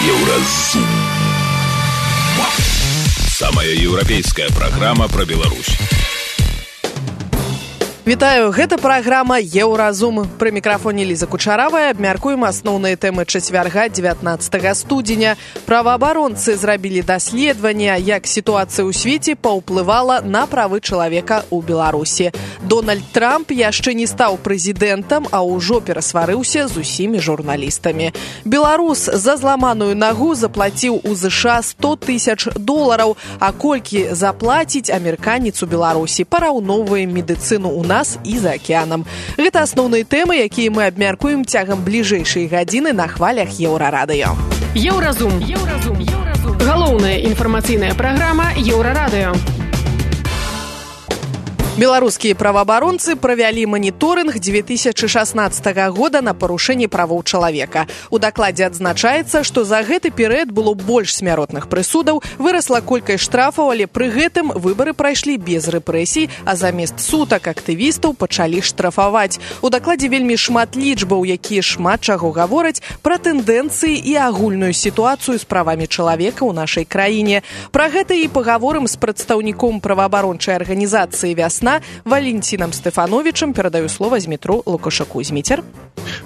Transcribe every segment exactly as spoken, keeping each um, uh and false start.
Еўразум. Самая еўрапейская праграма пра Беларусь. Вітаю, гэта праграма «Еўразум». Пры мікрафоне Ліза Кучаравая абмяркуем асноўныя тэмы чацвярга дзевятнаццатага студзеня. Праваабаронцы зрабілі даследаванне, як сітуацыя ў свеце паўплывала на правы чалавека ў Беларусі. Дональд Трамп яшчэ не стаў прэзідэнтам, а ўжо перасварыўся з усімі журналістамі. Беларус за зламаную нагу заплаціў у ЗША сто тысяч долараў, а колькі заплаціць амерыканец у Беларусі, параўноўваем медыцыну ў нас і за акеанам. Гэта асноўныя тэмы, якія мы абмяркуем цягам бліжэйшай гадзіны на хвалях Еўрарадыё. Еўразум. Еўразум. Еўразум. Галоўная інфармацыйная праграма Еўрарадыё. Беларускія праваабаронцы правялі маніторынг дзве тысячы шаснаццатага года на парушэнне правоў чалавека. У дакладзе адзначаецца, што за гэты перыяд было больш смяротных прысудаў, вырасла колькасць штрафаў, але пры гэтым выбары прайшлі без рэпрэсій, а замест сутак актывістаў пачалі штрафаваць. У дакладзе вельмі шмат лічбаў, якія шмат чаго гавораць пра тэндэнцыі і агульную сітуацыю з правамі чалавека ў нашай краіне. Пра гэта і пагаворым з прадстаўніком праваабарончай арганізацыі «Вясна» Валентинам Стефановичем. Перадаю слово Змітру Лукашаку. Змітер.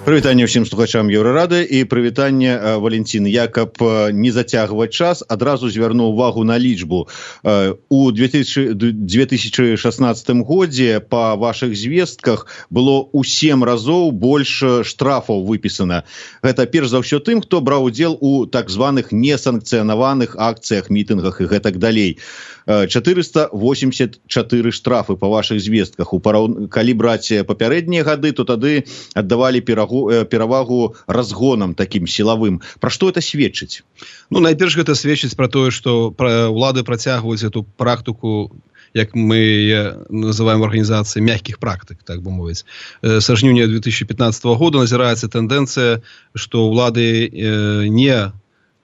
Прывітанне ўсім слухачам Еўрарады і прывітанне, Валентин. Я, каб не зацягваць час, адразу звярну увагу на лічбу. У две тысячы шаснаццатым годзе па вашых звестках было ў сем разоў больш штрафаў выпісана. Гэта перш за ўсё тым, хто браў удзел у так званых несанкцыянаваных акцыях, мітынгах і гэтак далей. чатырыста восемьдесят чатыры штрафы па вашых звестках. У параў... Калі браць папярэднія гады, то тады аддавалі перагу... перавагу разгонам такім сілавым. Пра што это сведчыць? Ну, найперш гэта сведчыць пра тое, што ўлады працягваюць эту практыку, як мы называем в организации мягких практик, так бы мовить. С жніўня две тысячи пятнадцатого года назирается тенденция, что влады не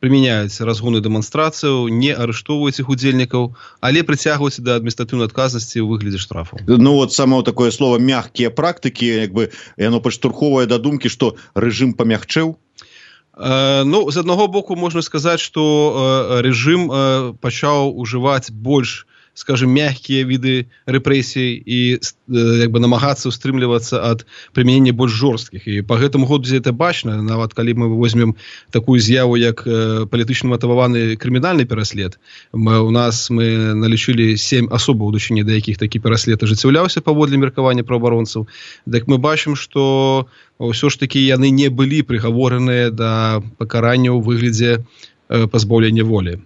применяют разгоны демонстрацию, не арыштовывают их удзельников, але притягиваются до административной отказности в выгляде штрафов. Ну вот само такое слово «мягкие практики», как бы, оно подштурховывает до думки, что режим помягчил. Uh, ну, з аднаго боку можна сказаць, што uh, рэжым uh, пачаў ужываць больш, скажем, мягкія віды рэпрэсій і uh, як бы намагацца ўстрымлівацца ад прымянення больш жорсткіх. І па гэтаму году гэта бачна, нават калі мы возьмем такую з'яву, як uh, палітычна матываваны крымінальны пераслед. Мы, у нас мы налічылі сем асобаў, удачыні да якіх такі пераслед ажыццяўляўся паводле меркавання праваабаронцаў. Так мы бачым, што ўсё ж такі яны не былі прыгавораныя да пакарання ў выглядзе э, пазбаўлення волі.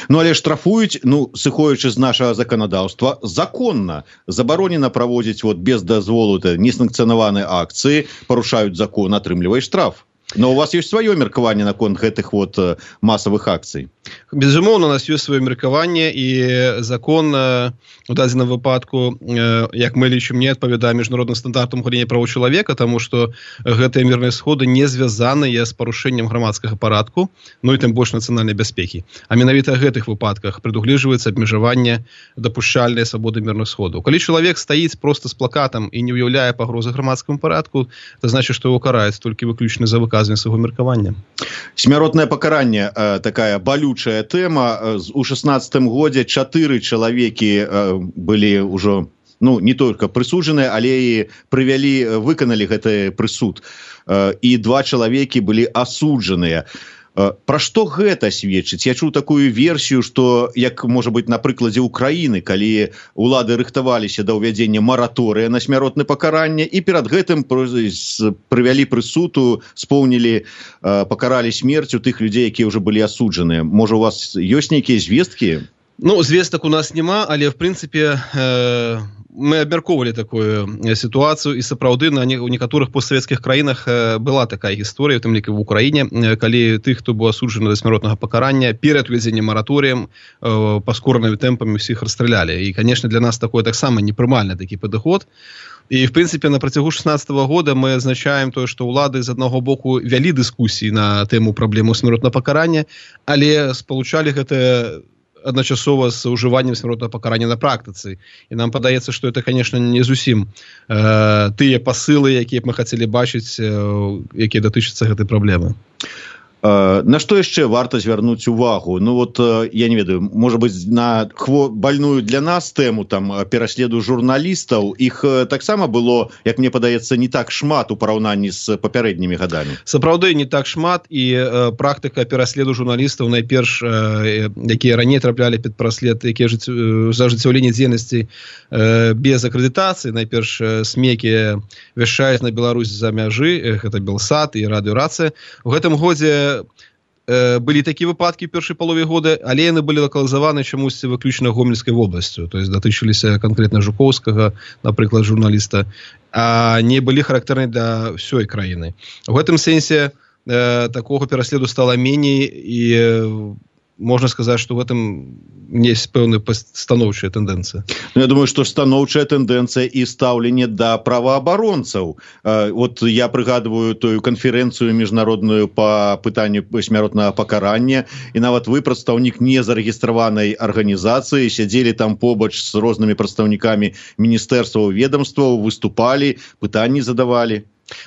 Ну, але штрафуюць, ну, сыходзячы з нашага заканадаўства, законна. Забаронена праводзіць вот без дазволу несанкцыянаваныя акцыі, парушаюць закон, атрымліваюць штраф. Но у вас есть свое меркаванне наконт гэтых вот масавых акцый? Безумоўна, у нас ёсць сваё меркаванне, і закон у дадзеным выпадку, як мы лічым, не адпавядае міжнародным стандартам галіне правоў чалавека, таму што гэтыя мірныя сходы не звязаныя з парушэннем грамадскага парадку, ну і тым больш нацыянальнай бяспекі. А менавіта ў гэтых выпадках прадугледжваецца абмежаванне дапушчальнай свабоды мірных сходаў. Калі чалавек стаіць проста з плакатам і не ўяўляе пагрозы грамадскаму парадку, то значыць, што яго караюць толькі выключна за выказванне свайго меркавання. Смяротнае пакаранне, такая балючая тэма. У шаснаццатым годзе чатыры чалавекі былі ўжо, ну, не только прысуджаныя, але і прывялі, выканалі гэты прысуд. І два чалавекі былі асуджаныя. Пра што гэта сведчыць? Я чуў такую версію, што, як можа быць на прыкладзе Украіны, калі улады рыхтаваліся да ўвядзення мараторыя на смяротнае пакаранне, і перад гэтым прывялі прысуду, споўнілі, пакаралі смерцю тых людзей, якія ўжо былі асуджаныя. Можа, у вас ёсць нейкія звесткі? Ну, звестак у нас няма, але, в прынцыпе, э, мы абмяркоўвалі такую сітуацыю, і сапраўды на не, у некаторых постсавецкіх краінах э, была такая гісторыя, у тым ліку в Украіне, э, калі тых, хто быў асуджаны да смяротнага пакарання, перад увядзеннем мараторыем э, паскоранымі тэмпамі ўсіх расстралялі. І, канешне, для нас такое таксама непрымальны такі падыход. І, в прынцыпе, на працягу шаснаццатага года мы адзначаем тое, што ўлады з аднаго боку вялі дыскусіі на тэму праблему смяротнага пакарання, але спалучалі гэта адначасова з ужываннем смяротнага пакарання на практыцы. І нам падаецца, што это, конечно, не зусім э, тыя пасылы, якія б мы хацелі бачыць, э, якія датычацца гэтай праблемы. На што яшчэ варта звярнуць увагу? Ну вот я не ведаю, можа быць, на хво... больную для нас тэму там пераследу журналістаў, іх таксама было, як мне падаецца, не так шмат у параўнанні з папярэднімі гадамі. Сапраўды не так шмат, і э, практыка пераследу журналістаў найперш, э, якія раней траплялі під праслед, якія жыць, э, за ажыццяўленне дзейнасці э, без акрэдытацыі, найперш э, СМІ, якія вяшчаюць на Беларусь за мяжы, э, гэта Белсат і радыёрацыя. У гэтым годзе былі такія выпадкі ў першай палове года, але яны былі лакалізаваны чамусьці выключна Гомельскай вобласцю, то есть датычыліся канкрэтна Жукоўскага, напрыклад, журналіста, а не былі характэрныя для ўсёй краіны. У гэтым сэнсе э, такога пераследу стала меней, і э, можна сказаць, што в гэтым есть пэўная станоўчая тэндэнцыя. Ну, я думаю, што станоўчая тэндэнцыя і стаўленне да праваабаронцаў. Вот я прыгадваю тую канферэнцыю міжнародную па пытанню смяротнага пакарання, і нават вы, прадстаўнік незарэгістраванай арганізацыі, сядзелі там побач з рознымі прадстаўнікамі міністэрстваў, ведомстваў, выступалі, пытанні задавалі.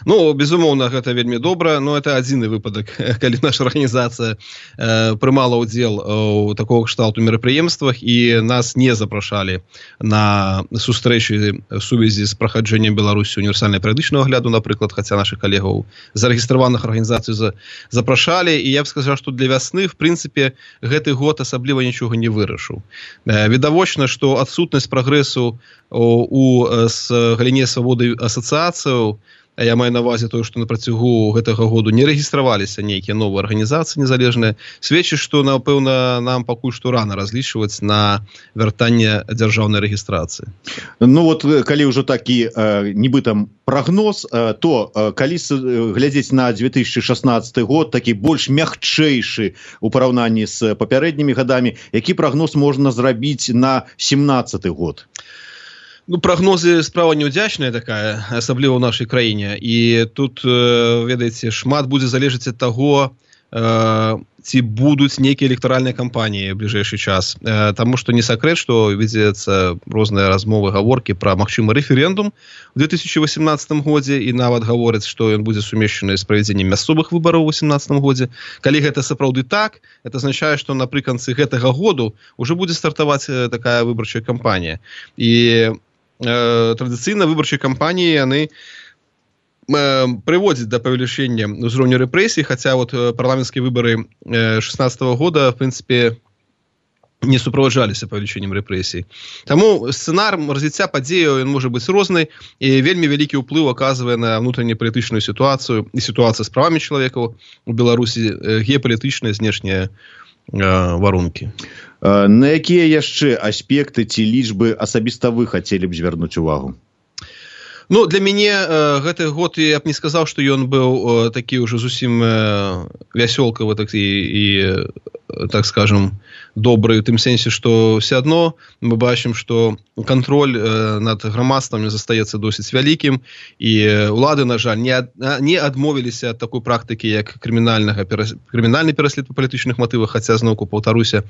Ну, безумоўна, гэта вельмі добра, но это адзіны выпадак, калі наша арганізацыя э, прымала ўдзел у такого кшталту мерапрыемствах, і нас не запрашалі на сустрэчы в сувязі з праходжэннем Беларусі універсальнай перыядычнага агляду, напрыклад, хаця нашых калегаў зарэгістраваных арганізацый за, запрашалі, і я б сказаў, што для вясны, в прынцыпе, гэты год асабліва нічога не вырашыў. Э, відавочна, што адсутнасць прагрэсу у, у с галіне свабоды асацыяцыяў, я маю на ўвазе тое, што на працягу гэтага году не рэгістраваліся нейкія новыя арганізацыі незалежныя, сведчыць, што, напэўна, нам пакуль што рана разлічваць на вяртанне дзяржаўнай рэгістрацыі. Ну вот, калі ўжо такі э, нібыта прагноз, э, то э, калі глядзець на две тысячи шестнадцаты год, такі больш мякчэйшы у параўнанні з папярэднімі гадамі, які прагноз можна зрабіць на семнадцаты год? Ну, прагнозы справа неудзячная такая, асабліва ў нашай краіне. І тут, ведаеце, шмат будзе залежаць ад таго, ці будуць нейкія электаральныя кампаніі ў бліжэйшы час. Таму што не сакрэт, што вядзецца розныя размовы, гаворкі пра магчымы рэферэндум у две тысячи восемнадцатым годзе, і нават гавораць, што ён будзе сумешчаны з правядзеннем мясцовых выбараў у восемнадцатым годзе. Калі гэта сапраўды так, это азначае, што напрыканцы гэтага году ўжо будзе стартаваць такая выбарчая кампанія. І традыцыйна выбарчыя кампаніі яны прыводзяць да павелічэння ўзроўню рэпрэсій, хаця вот парламенцкія выбары шестнадцатого года, в прынцыпе, не суправаджаліся павелічэннем рэпрэсій. Таму сцэнар развіцця падзеяў ён можа быць розны, і вельмі вялікі ўплыў аказвае на внутреннепалітычную сітуацыю і сітуацыя з правамі чалавекаў у Беларусі, геапалітычныя знешнія варункі. На якія яшчэ аспекты ці лічбы асабіста вы хацелі б звярнуць увагу? Ну, для мяне э, гэты год, я б не сказаў, што ён быў э, такі ўжо зусім э, вясёлкавы, так і, і так скажем, добры, у тым сенсе, што все адно мы бачым, што кантроль э, над грамадствам застаецца досыць вялікім, і улады, на жаль, не, ад, не адмовіліся ад такой практыкі, як крымінальнага крымінальны пераслед па палітычных матывах, хаця, зноўку, паўтаруся,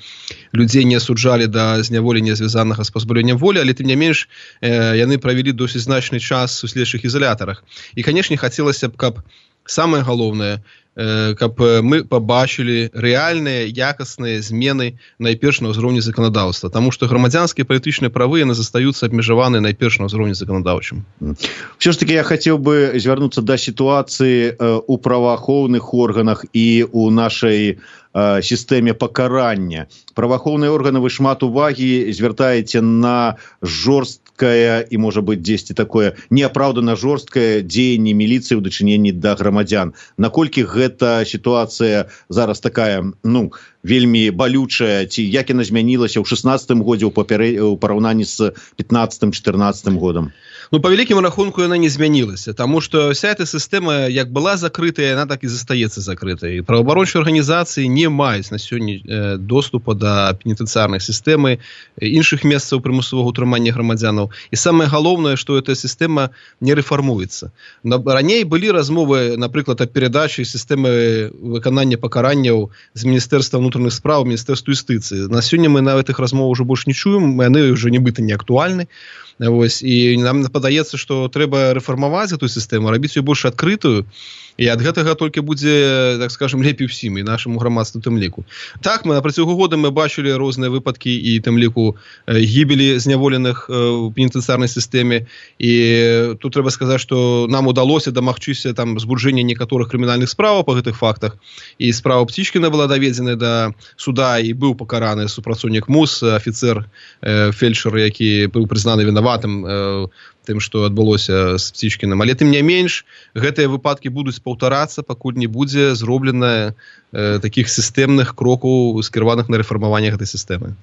людзей не асуджалі да зняволення звязанага з пазбаўленнем волі, але тым не менш э, яны правялі досыць значны час у следчых ізалятарах. І, канешне, хацелася б, каб самае галоўнае, каб мы пабачылі рэальныя якасныя змены найперш на ўзроўні заканадаўства, таму што грамадзянскія палітычныя правы яны застаюцца абмежаваны найперш на ўзроўні заканадаўчым. Все ж таки я хацеў бы звярнуцца да сітуацыі у праваахоўных органах і у нашай сістэме пакарання. Праваахоўныя органы, вы шмат увагі звяртаеце на жорсткае і, можа быць, дзесьці такое неапраўдана жорсткае дзеянне міліцыі ў дачыненні да грамадзян. Наколькі гэта сітуацыя зараз такая, ну, вельмі балючая, ці як яна змянілася ў шестнадцатым годзе ў папярэ... ў параўнанні з пятнадцатым-чатырнаццатым годам? Ну, по великому рахунку яна не змянілася, тому что вся эта система, як была закрытая, она так и застаецца закрытай. Праваабарончыя арганізацыі не маюць на сёння э, доступа да пенітэнцыярнай сістэмы, іншых месцаў прымусовага ўтрымання грамадзянаў. І самае галоўнае, што эта сістэма не рэфармуецца. Раней былі размовы, напрыклад, аб перадачы сістэмы выканання пакаранняў з Міністэрства ўнутраных спраў, Міністэрства юстыцыі. На сёння мы на гэтых размовах ўжо больш не чуем, яны ўжо нібыта не актуальны. Вось, і нам падаецца, што трэба рэфармаваць эту сістэму, рабіць ее больш адкрытую, і ад гэтага толькі будзе, так скажем, лепей усім, і нашаму грамадству тым ліку. Так, мы на працягу года мы бачылі розныя выпадкі і тым ліку гібелі зняволеных у пенітэнцыярнай сістэме, і тут трэба сказаць, што нам удалося дамагчыся там збуджэння некаторых крымінальных справаў па гэтых фактах, і справа Птічкіна была даведзена да суда і быў пакараны супрацоўнік МУС, афіцэр, фельдшер, які быў прызнаны вінаватым тым, што адбылося з Птічкінам. Але тым не менш, гэтыя выпадкі будуць паўтарацца, пакуль не будзе зроблена э, такіх сістэмных крокаў, скіраваных на рэфармаванне гэтай сістэмы.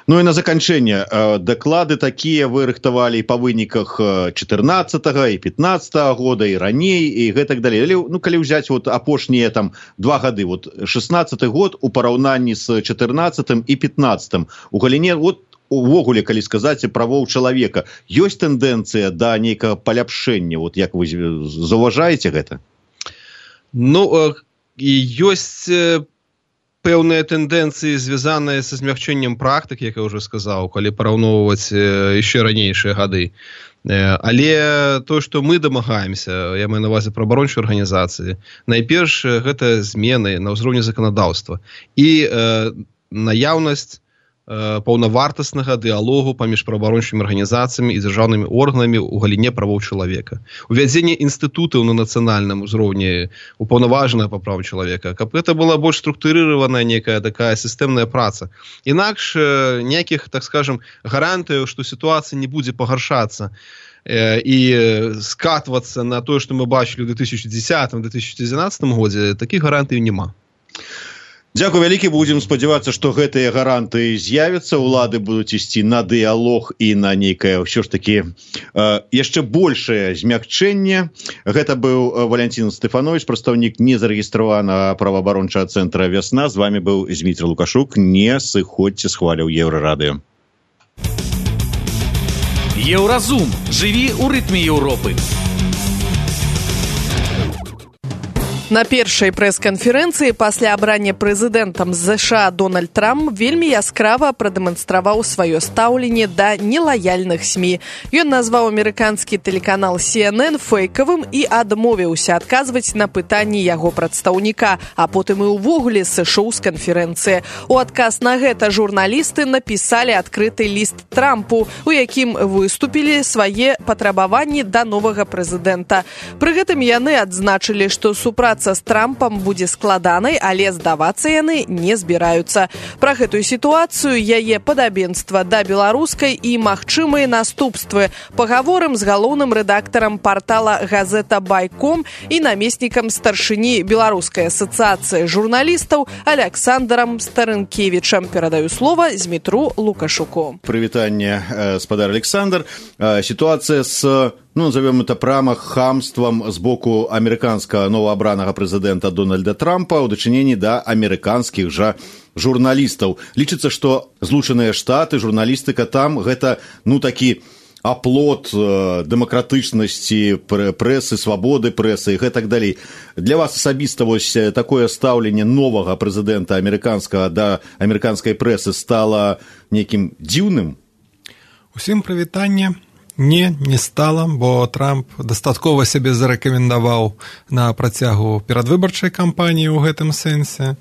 Ну і на заканчэнне. Э, даклады такія вы рыхтавалі па выніках чатырнаццатага і пятнаццатага года, і раней, і гэтак далей. Але, ну, калі ўзяць вот апошнія там два гады, вот шэснаццаты год у параўнанні з чатырнаццатым і пятнаццатым, у галіне, вот, увогуле, калі сказаць, правоў чалавека, ёсць тэндэнцыя да нейкага паляпшэння, вот як вы заўважаеце гэта? Ну, і ёсць пэўныя тэндэнцыі, звязаныя са змягчэннем практык, як я ўжо сказаў, калі параўноўваць яшчэ ранейшыя гады. Але тое, што мы дамагаемся, я маю на ўвазе праваабарончыя арганізацыі, найперш гэта змены на ўзроўні заканадаўства і э, наяўнасць паўнавартаснага дыялогу паміж праваабарончымі арганізацыямі і дзяржаўнымі органамі ў галіне правоў чалавека. Увядзенне інстытутаў на нацыянальным узроўні упаўнаважанага па правам чалавека, каб гэта была больш структурыраваная некая такая сістэмная праца. Інакш ніякіх, так скажем, гарантыяў, што сітуацыя не будзе пагаршацца і скатвацца на тое, што мы бачылі ў две тысячи дзесятым - две тысячи дванаццатым годзе, такіх гарантыяў няма. Дзякуй вялікі, будзем спадзявацца, што гэтыя гаранты з'явяцца, улады будуць ісці на дыялог і на нейкае ўсё ж такі э, яшчэ большае змякчэнне. Гэта быў Валянцін Стэфанович, прадстаўнік незарэгістраванага праваабарончага цэнтра «Вясна». З вами быў Змітрый Лукашук. Не сыходзьце з хваляў Еўрарадыё. Еўразум. Жыві ў рытме Еўропы. На першай прэс-канферэнцыі пасля абрання прэзідэнтам ЗША Дональд Трамп вельмі яскрава прадэманстраваў сваё стаўленне да нелаяльных СМІ. Ён назваў амерыканскі тэлеканал Си Эн Эн фэйкавым і адмовіўся адказваць на пытанні яго прадстаўніка, а потым і ўвогуле сышоў з канферэнцыі. У адказ на гэта журналісты напісалі адкрыты ліст Трампу, у якім выступілі свае патрабаванні да новага прэзідэнта. Пры гэтым яны адзначылі, што супраца з Трампам будзе складанай, але здавацца яны не збіраюцца. Пра гэтую сітуацыю, яе падабенства да беларускай і магчымыя наступствы пагаворым з галоўным рэдактарам партала газета Байком і намеснікам старшыні Беларускай асацыяцыі журналістаў Александрам Старынкевічам. Перадаю слова Змітру Лукашуку. Прывітанне, спадар Александр. Сітуацыя з, ну, назовем это прямо хамством з боку амерыканскага новаабранага прэзідэнта Дональда Трампа ў дачыненні да амерыканскіх жа журналістаў. Лічыцца, што Злучаныя Штаты, журналістыка там гэта, ну, такі аплот э, дэмакратычнасці прэсы, свабоды прэсы і гэтак далей. Для вас асабіста вось такое стаўленне новага прэзідэнта амерыканскага да амерыканскай прэсы стала нейкім дзіўным? Усім прывітанне. Не, не стала, бо Трамп дастаткова сябе зарэкамендаваў на працягу перадвыбарчай кампаніі ў гэтым сэнсе.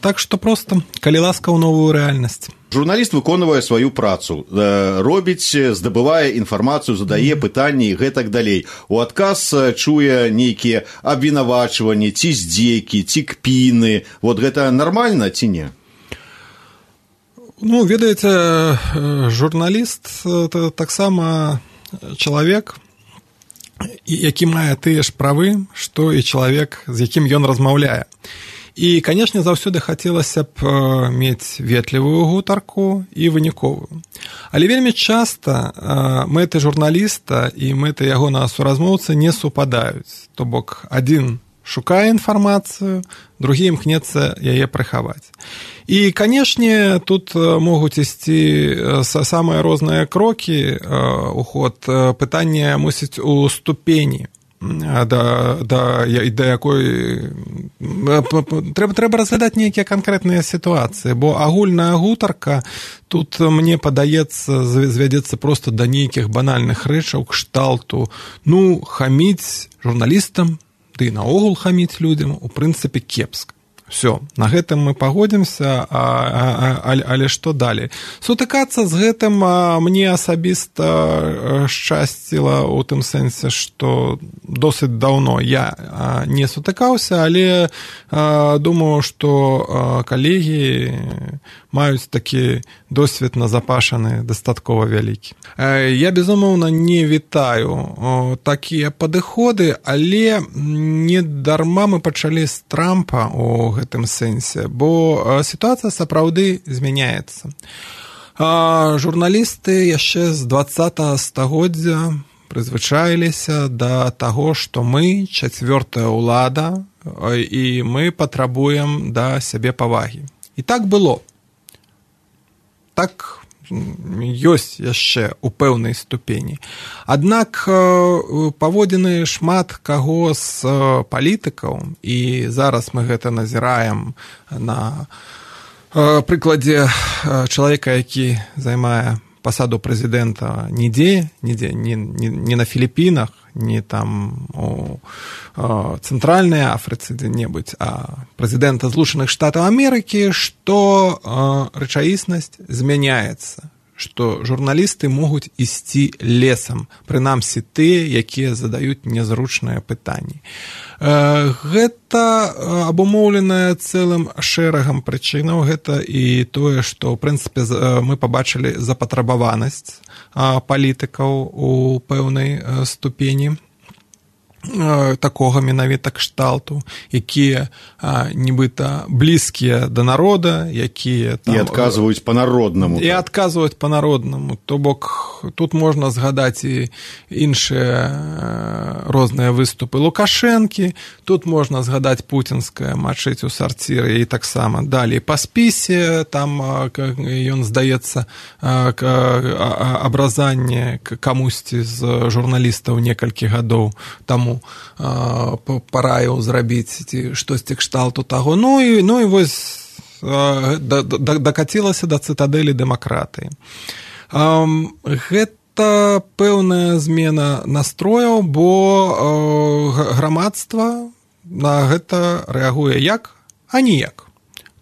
Так што проста, калі ласка, ў новую рэальнасць. Журналіст выконвае сваю працу, робіць, здабывае інфармацыю, задае пытанні і гэтак далей. У адказ чуе нейкія абвінавачванні, ці здзекі, ці кпіны. Вот гэта нармальна ці не? Ну, ведаеце, журналіст – таксама чалавек, які мае тыя ж правы, што і чалавек, з якім ён размаўляе. І, канешне, заўсёды хацелася б мець ветлівую гутарку і выніковую. Але вельмі часта мэты журналіста і мэты ягонага суразмоўцы не супадаюць. То бок, адзін шукае інфармацыю, другі імкнецца яе прыхаваць. І, канешне, тут могуць ісці самыя розныя крокі у ход. Пытанне мусіць у ступені да, да, да якой трэба, трэба разглядаць нейкія канкрэтныя сітуацыі, бо агульная гутарка тут, мне падаецца, звядзецца проста да нейкіх банальных рэчаў кшталту, ну, хаміць журналістам, ды і наогул хаміць людзям, у прынцыпе, кепска. Все, на гэтым мы пагодзімся, а, а, а, але што далей? Сутыкацца з гэтым мне асабіста шчасціла ў тым сэнсе, што досыць даўно я не сутыкаўся, але думаю, што калегі маюць такі досвед назапашаны дастаткова вялікі. Я, безумоўна, не вітаю такія падыходы, але не дарма мы пачалі з Трампа у гэтым сэнсе, бо сітуацыя сапраўды змяняецца. Журналісты яшчэ з дваццатага стагоддзя прызвычаіліся да таго, што мы чацвёртая ўлада і мы патрабуем да сябе павагі. І так было. Так ёсць яшчэ ў пэўнай ступені. Аднак паводзіны шмат каго з палітыкаў, і зараз мы гэта назіраем на прыкладзе чалавека, які займае пасаду прэзідэнта нідзе, нідзе, не, не, не на Філіпінах, не там у Цэнтральнай Афрыцы дзе-небудзь, а прэзідэнта Злучаных Штатаў Амерыкі, што рэчаіснасць змяняецца, што журналісты могуць ісці лесам, прынамсі тыя, якія задаюць нязручныя пытанні. Гэта абумоўленае цэлым шэрагам прычынаў, гэта і тое, што, ў прынцыпе, мы пабачылі запатрабаванасць палітыкаў у пэўнай ступені такога менавіта кшталту, якія нібыта блізкія да народа, якія там... І адказваюць па-народнаму. І адказваюць па-народнаму. То бок, тут можна згадаць і іншыя розныя выступы Лукашэнкі, тут можна згадаць пуцінскае мачыць у сарціры і таксама далей па спісе, там ён, здаецца, абразанне камусьці з журналістаў некалькі гадоў таму параіў зрабіць ці штосьці кшталту таго. Ну і, ну і вось дакацілася да цытадэлі дэмакратыі. Гэта пэўная змена настрояў, бо грамадства на гэта рэагуе як, а ніяк.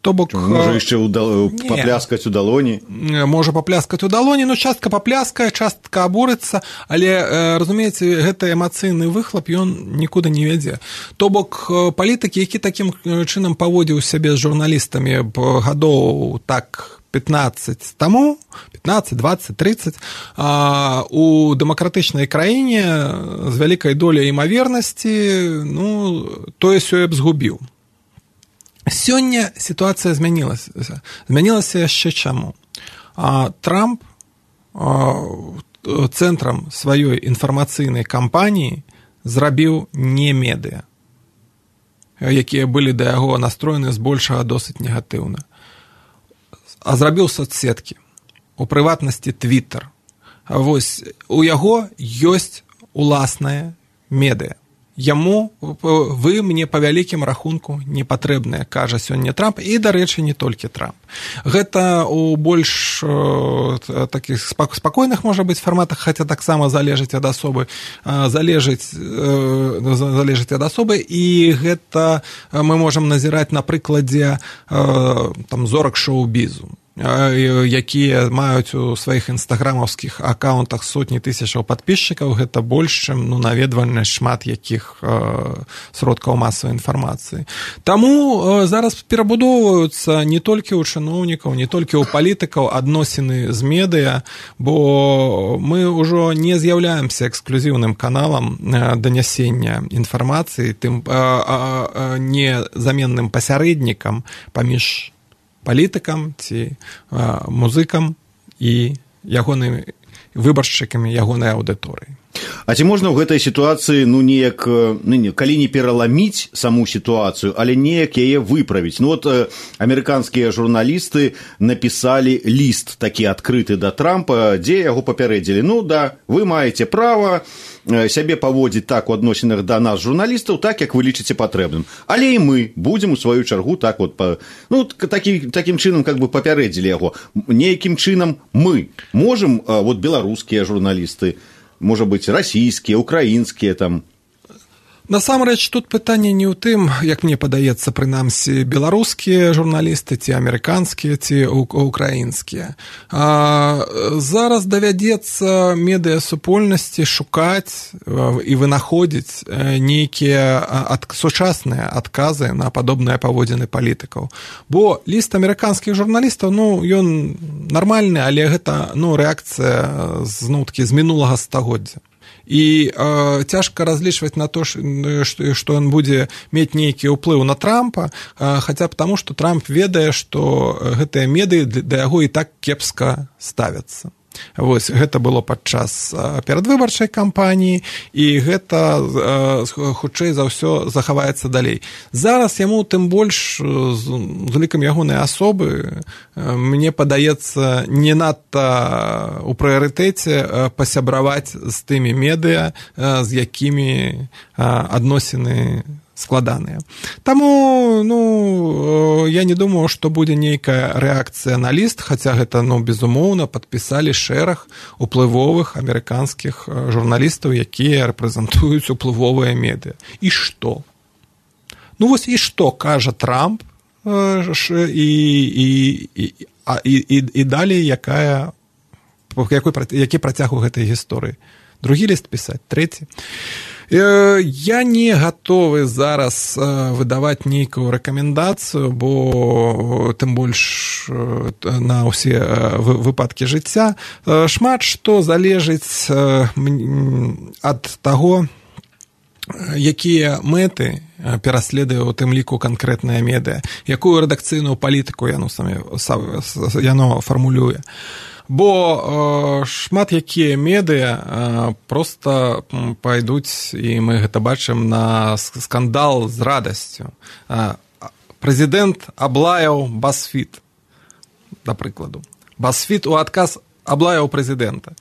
То бок, можа яшчэ ўдал... папляскаць у далоні. Можа папляскаць у далоні, ну частка папляскае, частка абурыцца, але, разумееце, гэты эмацыйны выхлап, ён нікуды не вядзе. То бок, палітыкі, які такім чынам паводзіў сябе з журналістамі гадоў так пятнаццаць таму, пятнаццаць, дваццаць, трыццаць, у дэмакратычнай краіне з вялікай доляй імавернасці, ну, тое-сёе б згубіў. Сёння сітуацыя змянілася. Змянілася яшчэ чаму? Трамп цэнтрам сваёй інфармацыйнай кампаніі зрабіў не медыа, якія былі да яго настроены збольшага досыць негатыўна, а зрабіў соцсеткі, у прыватнасці Твиттер. Вось у яго ёсць уласнае медыа. Яму, вы мне па вялікім рахунку не патрэбныя, кажа сёння Трамп, і, дарэчы, не толькі Трамп. Гэта у больш э, такіх спакойных, можа быць, фарматах, хаця таксама залежыць ад асобы, э, залежыць, э, залежыць ад асобы, і гэта мы можам назіраць на прыкладзе э, там, зорак шоу-бізу, якія маюць у сваіх інстаграмаўскіх акаунтах сотні тысячаў падпісчыкаў, гэта больш, чым ну, наведвальнасць шмат якіх э, сродкаў масавай інфармацыі. Таму э, зараз перабудоўваюцца не толькі ў чыноўнікаў, не толькі ў палітыкаў адносіны з медыа, бо мы ўжо не з'яўляемся эксклюзіўным каналам э, данясення інфармацыі, тым э, э, незаменным пасярэднікам паміж палітыкам ці а, музыкам і ягонымі выбаршчыкамі ягонай аўдыторыі. А ці можна ў гэтай сітуацыі ну неяк ну, не, калі не пераламіць саму сітуацыю, але неяк яе выправіць? Ну вот э, амерыканскія журналісты напісалі ліст такі адкрыты да Трампа, дзе яго папярэдзілі: ну да, вы маеце права э, сябе паводзіць так у адносінах да нас журналістаў, так як вы лічыце патрэбным, але і мы будзем у сваю чаргу так вот па, ну такі, такім чынам как бы папярэдзілі яго. Неякім чынам мы можам э, вот беларускія журналісты, можа быць, расійскія, украінскія там. Насамрэч, тут пытанне не ў тым, як мне падаецца, прынамсі, беларускія журналісты, ці амерыканскія, ці украінскія. А, зараз давядзецца медыасупольнасці шукаць і вынаходзіць нейкія ад, сучасныя адказы на падобныя паводзіны палітыкаў. Бо ліст амерыканскіх журналістаў, ну, ён нармальны, але гэта, ну, рэакцыя з, ну, такі, з мінулага стагоддзя. І э, цяжка разлічваць на то, што ён будзе мець нейкі ўплыў на Трампа, э, хаця б таму, што Трамп ведае, што гэтыя медыі да яго і так кепска ставяцца. Вось, гэта было падчас перадвыбарчай кампаніі, і гэта, хутчэй за ўсё, захаваецца далей. Зараз яму, тым больш, з улікам ягонай асобы, мне падаецца, не надта ў прыярытэце пасябраваць з тымі медыа, з якімі адносіны складаныя. Таму, ну, я не думаю, што будзе нейкая рэакцыя на ліст, хаця гэта, ну, безумоўна, падпісалі шэраг уплывовых амерыканскіх журналістаў, якія рэпрэзентуюць уплывовыя медыа. І што? Ну, вось і што кажа Трамп, і, і, і, і, і, і далей якая, якой, які працяг у гэтай гісторыі? Другі ліст пісаць, трэці. Я не гатовы зараз выдаваць нейкую рэкамендацыю, бо тым больш на ўсе выпадкі жыцця. Шмат што залежыць ад таго, якія мэты пераследуе у тым ліку канкрэтнае медыа, якую рэдакцыйную палітыку яно, самі, яно фармулюе. Бо э, шмат якія медыа э, проста пайдуць, і мы гэта бачым, на скандал з радасцю. Э, прэзідэнт аблаяў BuzzFeed, да прыкладу. BuzzFeed у адказ аблаяў прэзідэнта.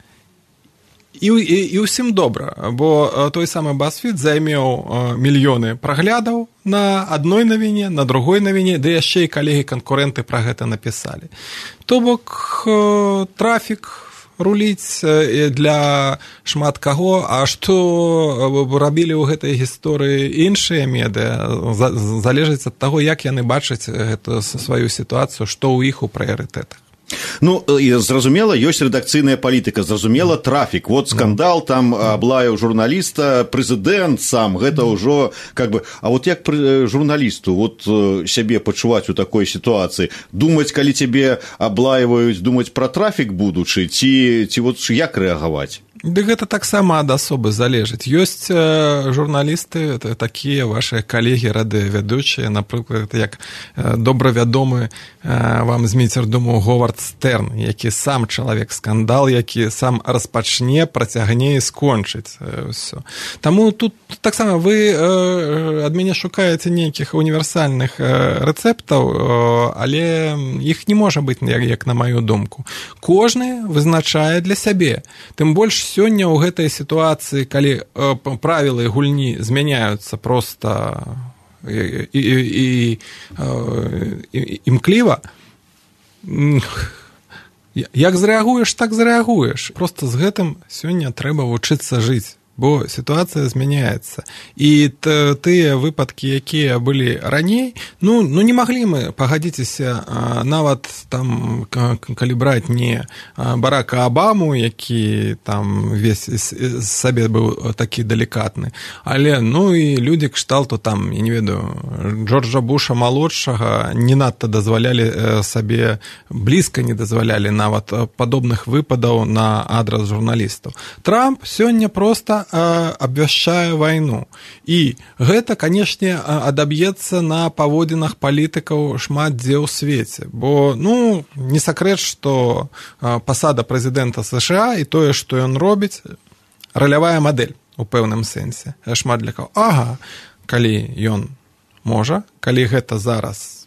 І, і, і ўсім добра, бо той самы BuzzFeed займеў мільёны праглядаў на адной навіне, на другой навіне, ды яшчэ і калегі-канкурэнты пра гэта напісалі. То бок трафік руліць для шмат каго, а што рабілі ў гэтай гісторыі іншыя медыа, залежыць ад таго, як яны бачаць гэту сваю сітуацыю, што ў іх у прыярытэтах. Ну, зразумела, ёсць рэдакцыйная палітыка, зразумела, трафік. Вот скандал, там аблаяў журналіста, прэзідэнт сам, гэта ўжо как бы... А вот як журналісту вот сябе пачуваць у такой сітуацыі? Думаць, калі цябе аблаіваюць, думаць пра трафік будучы, ці, ці вот як рэагаваць? Ды гэта таксама ад асобы залежыць. Ёсць э, журналісты, такія вашыя калегі радыёвядучыя, напрыклад, як э, добра вядомы э, вам з міцердуму Говард Стэрн, які сам чалавек скандал, які сам распачне, працягне і скончыць э, ўсё. Таму тут таксама вы э, ад мяне шукаеце нейкіх універсальных э, рэцэптаў, э, але іх не можа быць, як, як на маю думку. Кожны вызначае для сябе. Тым больш сёння ў гэтай сітуацыі, калі э, правілы гульні змяняюцца проста і, і, і, і, імкліва, як зрэагуеш, так зрэагуеш. Проста з гэтым сёння трэба вучыцца жыць, бо сітуацыя змяняецца. І тыя выпадкі, якія былі раней, ну, ну не маглі мы, пагадзіцеся, нават там, калі браць не Барака Абаму, які там весь сабе быў такі далікатны, але, ну, і людзі кшталту там, я не ведаю, Джорджа Буша малодшага не надта дазвалялі сабе, блізка не дазвалялі нават падобных выпадаў на адрас журналістаў. Трамп сёння проста абвяшчае вайну. І гэта, канешне, адаб'ецца на паводзінах палітыкаў шмат дзе ў свеце. Бо, ну, не сакрэт, што пасада прэзідэнта США і тое, што ён робіць, ралявая мадэль у пэўным сэнсе. Шмат для каго. Ага, калі ён можа, калі гэта зараз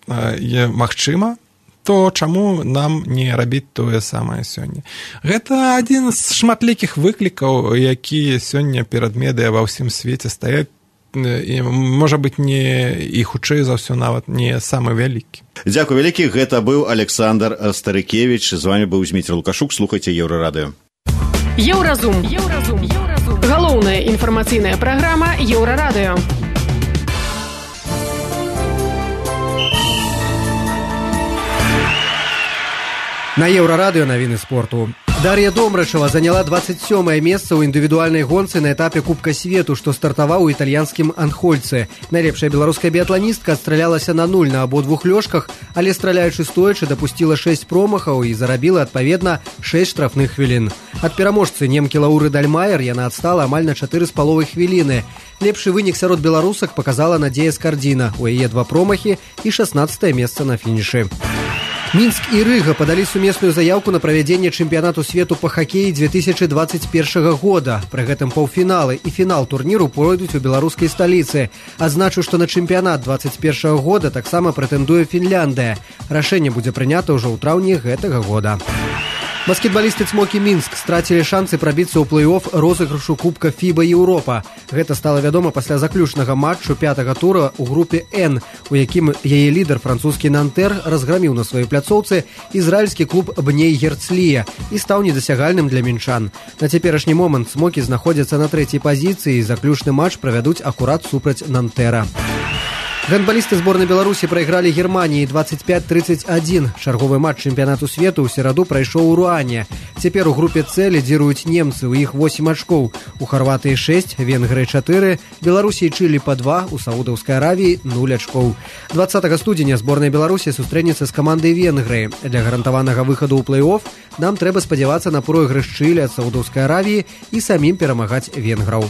магчыма, то чаму нам не рабіць тое самае сёння? Гэта адзін з шматлікіх выклікаў, якія сёння перад медыя ва ўсім свеце стаяць, і, можа быць, не і хутчэй за ўсё нават не самы вялікі. Дзякуй вялікі, гэта быў Александр Старыкевіч, з вами быў Зміцер Лукашук, слухайце Еўрарадыё. Еўразум. Еўразум. Еўразум. Галоўная інфармацыйная праграма Еўрарадыё. На Еўрарадыё навіны спорту. Дар'я Домрачева заняла двадцать сёмае месца ў індывідуальнай гонцы на этапе Кубка свету, што стартаваў у італьянскім Анхольцы. Найлепшая беларуская біятланістка адстралялася на нуль на абодвух лёжках, але страляючы стоячы дапусціла шэсць промахаў і зарабіла, адпаведна, шэсць штрафных хвілін. Ад пераможцы немкі Лауры Дальмайер яна адстала амаль на чатыры з паловай хвіліны. Лепшы вынік сярод беларусак показала Надзея Скардзіна. У яе два промахі і шаснаццатае месца на фінішы. Мінск і Рыга падалі сумесную заяўку на правядзенне чэмпіянату свету па хакеі две тысячы двадцать першага года. Пры гэтым паўфіналы і фінал турніру пройдуць у беларускай сталіцы. Адзначу, што на чэмпіянат двадцать першага года таксама прэтэндуе Фінляндыя. Рашэнне будзе прынята ўжо ў траўні гэтага года. Баскетбалісты «Цмокі Мінск» страцілі шансы прабіцца ў плэй-офф розыгрышу Кубка фіба Еўропа. Гэта стала вядома пасля заключнага матчу пятага тура ў групе «Н», у якім яе лідар французскі «Нантэр» разграміў на сваёй пляцоўцы ізраільскі клуб «Бней Герцлія» і стаў недасягальным для мінчан. На цяперашні момант «Цмокі» знаходзяцца на трэцяй пазіцыі і заключны матч правядуць акурат супраць «Нантэра». Гандбалісты зборнай Беларусі прайгралі Германіі двадцать пять тридцать один. Чарговы матч чэмпіянату свету ў сераду прайшоў у Руане. Цяпер у групе С лідзіруюць немцы, у іх восемь ачкоў. У Харватыі шэсць, Венгрыі чатыры, Беларусі і Чылі па два, у Саудаўскай Аравіі нуль ачкоў. двадцатага студзеня зборная Беларусі сустрэнецца з камандай Венгрыі. Для гарантаванага выхаду ў плэй-офф нам трэба спадзявацца на пройгрыш Чылі ад Саудаўскай Аравіі і самім перамагаць венграў.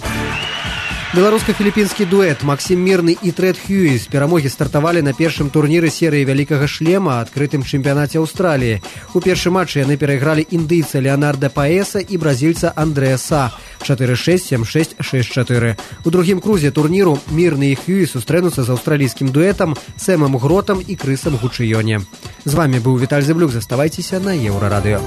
Беларуска-філіпінскі дуэт Максім Мірны і Трэд Хьюіс перамогі стартавалі на першым турніры серыі вялікага шлема адкрытым чэмпіянаце Аўстраліі. У першым матчы яны перайгралі індыйца Леонарда Паэса і бразільца Андрэя Са чатыры шэсць, сем шэсць, шэсць чатыры. У другім крузе турніру Мірны і Хьюіс сустрэнуцца з аўстралійскім дуэтам Сэмам Гротам і Крысам Гучыёне. З вами быў Віталь Зэблюк, заставайцеся на Еўрарадыё.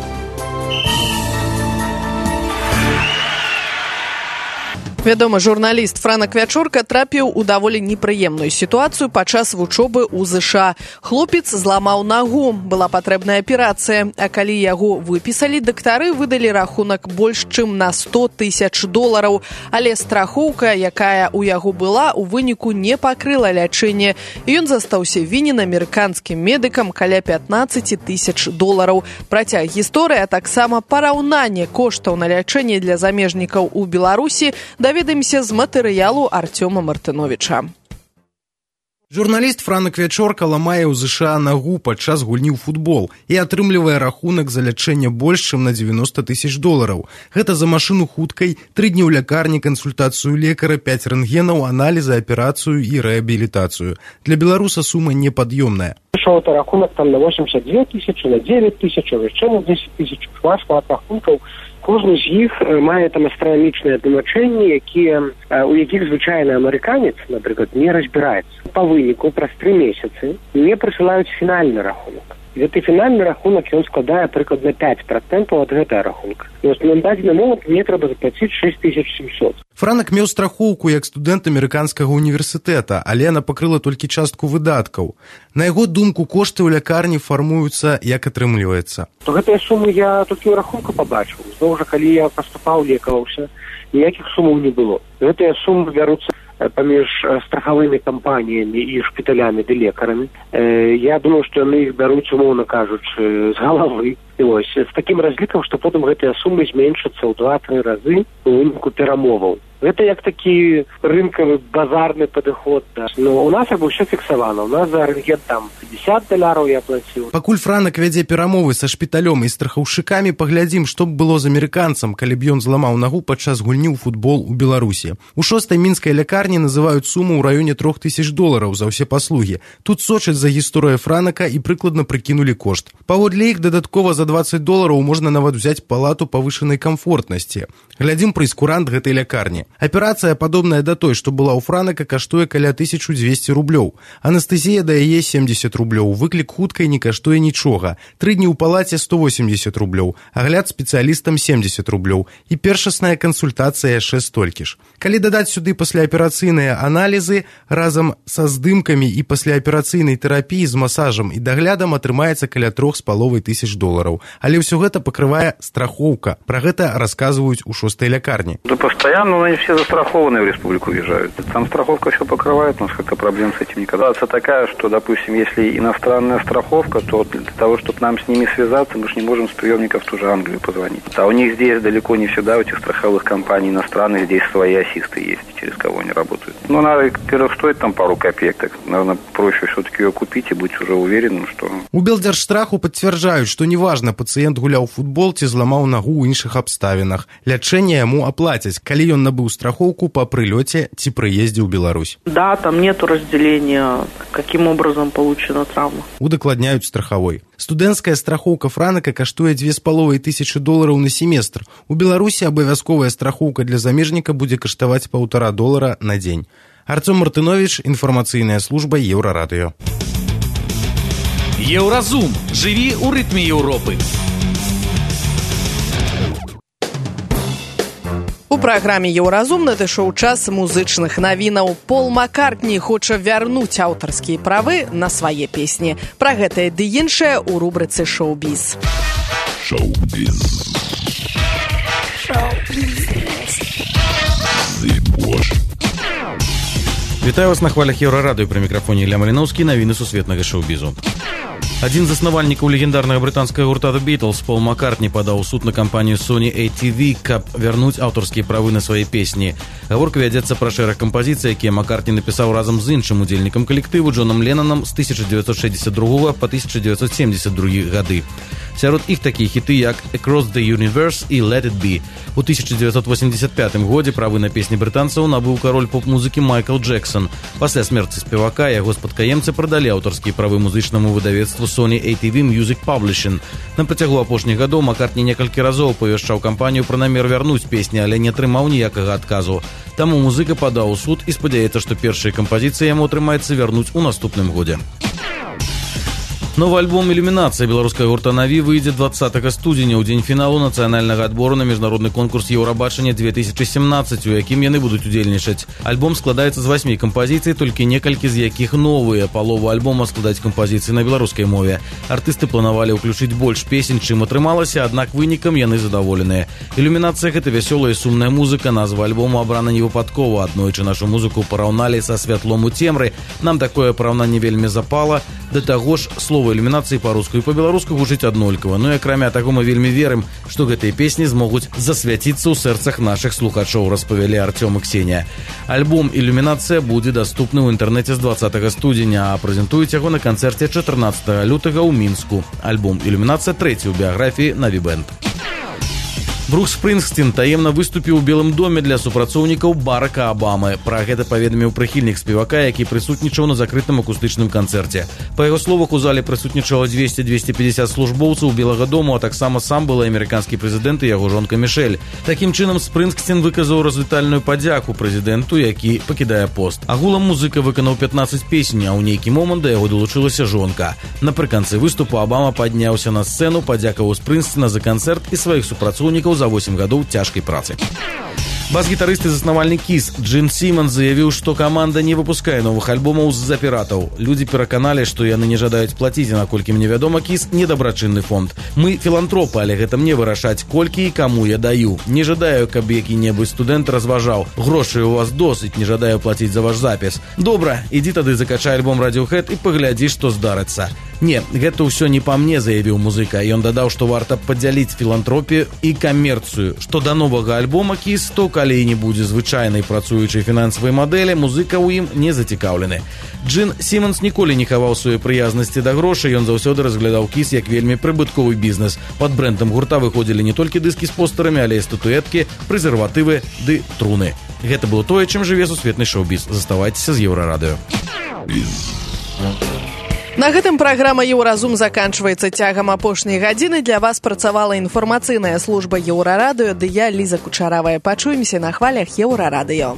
Вядомы журналіст Франак Вячорка трапіў у даволі непрыемную сітуацыю падчас вучобы ў ЗША. Хлопец зламаў нагу, была патрэбная аперацыя, а калі яго выпісалі, дактары выдалі рахунак больш чым на сто тысяч долараў, але страхоўка, якая ў яго была, у выніку не пакрыла лячэнне. Ён застаўся вінен амерыканскім медыкам каля пятнаццаць тысяч долараў. Працяг гісторыі, а таксама параўнанне коштаў на лячэнне для замежнікаў у Беларусі даведаемся з матэрыялу Артёма Мартыновіча. Журналіст Франак Вячорка ламае ў ЗША нагу падчас гульні ў футбол і атрымлівае рахунак за лячэнне больш чым на дзевяноста тысяч долараў. Гэта за машыну хуткай, тры дні ў лякарні, кансультацыю лекара, пяць рэнтгенаў, аналізы, аперацыю і рэабілітацыю. Для беларуса сума непад'ёмная. Пришел это рахунок там на восемьдесят две тысячи, на девять тысяч, еще на десять тысяч, шмат рахунков. Кожны з іх мае там астранамічныя тлумачэнні, якія, у якіх звычайны амерыканец, напрыклад, не разбіраецца. Па выніку праз тры месяцы мне прысылаюць фінальны рахунак. І гэты фінальны рахунак ён складае прыкладна пять процентаў ад гэтага рахунка. І вось на дадзены момант мне трэба заплаціць шесть тысяч семьсот. Франак меў страхоўку як студэнт амерыканскага універсітэта, але яна пакрыла толькі частку выдаткаў. На яго думку, кошты ў лякарні фармуюцца, як атрымліваецца. То гэтыя сумы я толькі ў рахунку пабачыў. Зноў жа, калі я паступаў, лекаваўся, ніякіх сумаў не было. Гэтыя сумы бяруцца паміж страхавымі кампаніямі і шпіталямі ды лекарамі. Я думаю, што яны іх бяруць, умоўна кажучы, з галавы. І вось, з такім разлікам, што потым гэтыя сумы зменшацца ў два-тры разы у выніку перамоваў. Гэта як такі рынкавы базарны падыход. Да. Ну, у нас як бы ўсё фіксавана. У нас за рэнтген там пятьдесят даляраў я плаціў. Пакуль Франак вядзе перамовы са шпіталём і страхаўшчыкамі, паглядзім, што б было з амерыканцам, калі б ён зламаў нагу падчас гульні ў футбол у Беларусі. У шостай мінскай лякарні называюць суму ў раёне трох тысяч долараў за ўсе паслугі. Тут сочаць за гісторыю Франака і прыкладна прыкінулі кошт. Паводле іх дадаткова за дваццаць долараў можна нават узяць палату павышанай камфортнасці. Глядзім прэйскурант гэтай лякарні. Аперацыя, падобная да той, што была ў Франака, каштуе каля тысячу дзвесце рублёў. Анестэзія дае семьдесят рублёў, выклік хуткай не каштуе нічога. Тры дні ў палаце сто восемьдесят рублёў, агляд спецыялістам семьдесят рублёў і першасная кансультацыя яшчэ столькі ж. Калі дадаць сюды пасляаперацыйныя аналізы, разам са здымкамі і пасляаперацыйнай тэрапіі з масажам і даглядам атрымаецца каля трох з паловай тысяч долараў. Але ўсё гэта пакрывае страхоўка. Пра гэта расказваюць у шостай лякарні. Да постоянно они все застрахованные в республику въезжают. Там страховка все покрывает, у нас как-то проблем с этим никогда. Ситуация такая, что, допустим, если иностранная страховка, то для того, чтобы нам с ними связаться, мы же не можем с приемников в ту же Англию позвонить. А у них здесь далеко не всегда, у этих страховых компаний иностранных, здесь свои ассисты есть, через кого они работают. Ну, надо, во-первых, стоит там пару копеек, так, наверное, проще все-таки ее купить и быть уже уверенным, что... У Белдзяржстраху пацвярджаюць, што неважна, пацыент гуляў футбол ці зламаў нагу ў іншых абставінах. Лячэнне яму аплацяць, калі ён набыў страхоўку па прылёце ці прыездзе ў Беларусь. Да, там нету разделения, каким образом получена травма. Удакладняюць страхавой. Студэнцкая страхоўка Франака каштуе дзве з паловай тысячы долараў на семестр. У Беларусі абавязковая страхоўка для замежніка будзе каштаваць паўтара долара на дзень. Артём Мартынович, інфармацыйная служба Еўрарадыё. Еўразум. Жыві ў рытме Еўропы. У праграме «Еўразум» надышоў час музычных навінаў. Пол Маккартні хоча вярнуць аўтарскія правы на свае песні. Пра гэтае ды іншае ў рубрыцы «Шоу-біз». Шоу-біз. Вітаю вас на хвалях Еўрарадыё, пры мікрафоне Ілля Маліноўскі, навіны сусветнага шоу-бізу. Адзін з заснавальнікаў легендарнага брытанскага гурта The Beatles, Пол Маккартні, падаў у суд на кампанію Sony эй ти ви, каб вярнуць аўтарскія правы на свае песні. Гаворка вядзецца пра шэраг кампазіцый, якія Маккартні напісаў разам з іншым удзельнікам калектыву Джонам Леннанам з тысяча дзевяцьсот шэсцьдзесят другога па тысяча дзевяцьсот семьдесят другі гады. Сярод іх такія хіты, як Across the Universe і Let It Be. У тысяча дзевяцьсот восемьдесят пятым годзе правы на песні брытанцаў набыў кароль поп-музыкі Майкл Джексон. Пасля смерці спевака яго спадкаемцы прадалі аўтарскія правы музычнаму выдавецтву Sony эй ти ви Music Publishing. На працягу апошніх гадоў Маккартні некалькі разоў павяшчаў кампанію пра намер вярнуць песні, але не атрымаў ніякага адказу. Таму музыка падаў у суд і спадзяецца, што першыя кампазіцыі яму атрымаецца вярнуць у наступным годзе. Новы альбом «Ілюмінацыя» беларускага гурта «Наві» выйдзе двадцатага студзеня ў дзень фіналу нацыянальнага адбору на міжнародны конкурс «Еўрабачання две тысячи семнадцать», у якім яны будуць удзельнічаць. Альбом складаецца з васьмі кампазіцый, толькі некалькі з якіх новыя. Палову альбома складаць кампазіцыі на беларускай мове. Артысты планавалі ўключыць больш песень, чым атрымалася, аднак вынікам яны задаволеныя. «Ілюмінацыя» — гэта вясёлая і сумная музыка. Назва альбому абрана невыпадкова. Аднойчы нашу музыку параўналі са святлом у цемры. Нам такое параўнанне вельмі запала. Да таго ж, слова ілюмінацыі па-руску і па-беларуску гучыць аднолькава. Ну і акрамя таго мы вельмі верым, што гэтыя песні змогуць засвяціцца ў сэрцах нашых слухачоў, распавялі Артём і Ксенія. Альбом «Ілюмінацыя» будзе даступны ў інтэрнэце з двадцатага студзеня, а прэзентуюць яго на канцэрце чатырнаццатага лютага ў Мінску. Альбом «Ілюмінацыя» трэці ў біяграфіі «Наві Бэнд». Брукс Спрынгсцін таемна выступіў у Белым доме для супрацоўнікаў Барака Абамы. Пра гэта паведаміў прыхільнік спевака, які прысутнічаў на закрытым акустычным канцэрце. Па яго словах, у зале прысутнічала дзвесце - дзвесце пятьдесят службоўцаў Белага дому, а таксама сам был амерыканскі прэзідэнт і яго жонка Мішэль. Такім чынам, Спрынгсцін выказаў развітальную падзяку прэзідэнту, які пакідае пост. Агулам музыка выканаў пятнаццаць песень, а ў нейкі момант да яго далучылася жонка. Напрыканцы выступу Абама падняўся на сцэну, падзякаваў Спрынгсціна за канцэрт і сваіх супрацоўнікаў за восемь гадоў цяжкай працы. Бас-гітарыст і заснавальнік Кіс Джин Сіманс заявіў, што каманда не выпускае новых альбомаў з-за піратаў. Людзі пераканалі, што яны не жадаюць плаціць, наколькі мне вядома, Кіс недабрачынны фонд. Мы філантропы, але гэта мне вырашаць, колькі і каму я даю. Не жадаю, каб які-небудзь студэнт разважаў. Грошай у вас досыць, не жадаю плаціць за ваш запіс. Добра, ідзі тады закачай альбом Radiohead і паглядзі, што здарыцца. Не, гэта ўсё не па мне, заявіў музыка. Ён дадаў, што варта падзяліць філантропію і камерцыю. Што да новага альбома «Кіс», то калі не будзе звычайнай працуючай фінансавай мадэлі, музыка ў ім не зацікаўлены. Джин Сімонс ніколі не хаваў сваёй прыязнасці да грошай, ён заўсёды разглядаў «Кіс» як вельмі прыбытковы бізнес. Пад брэндам гурта выходзілі не толькі дыскі з постарамі, але і статуэткі, прэзерватывы ды труны. Гэта было тое, чым жыве сусветны шоу-біз. Заставайцеся з Еўрарадыё. На гэтым праграма «Еўразум» заканчваецца. Цягам апошняй гадзіны для вас працавала інфармацыйная служба Еўрарадыё, ды я, Ліза Кучаравая. Пачуемся на хвалях Еўрарадыё.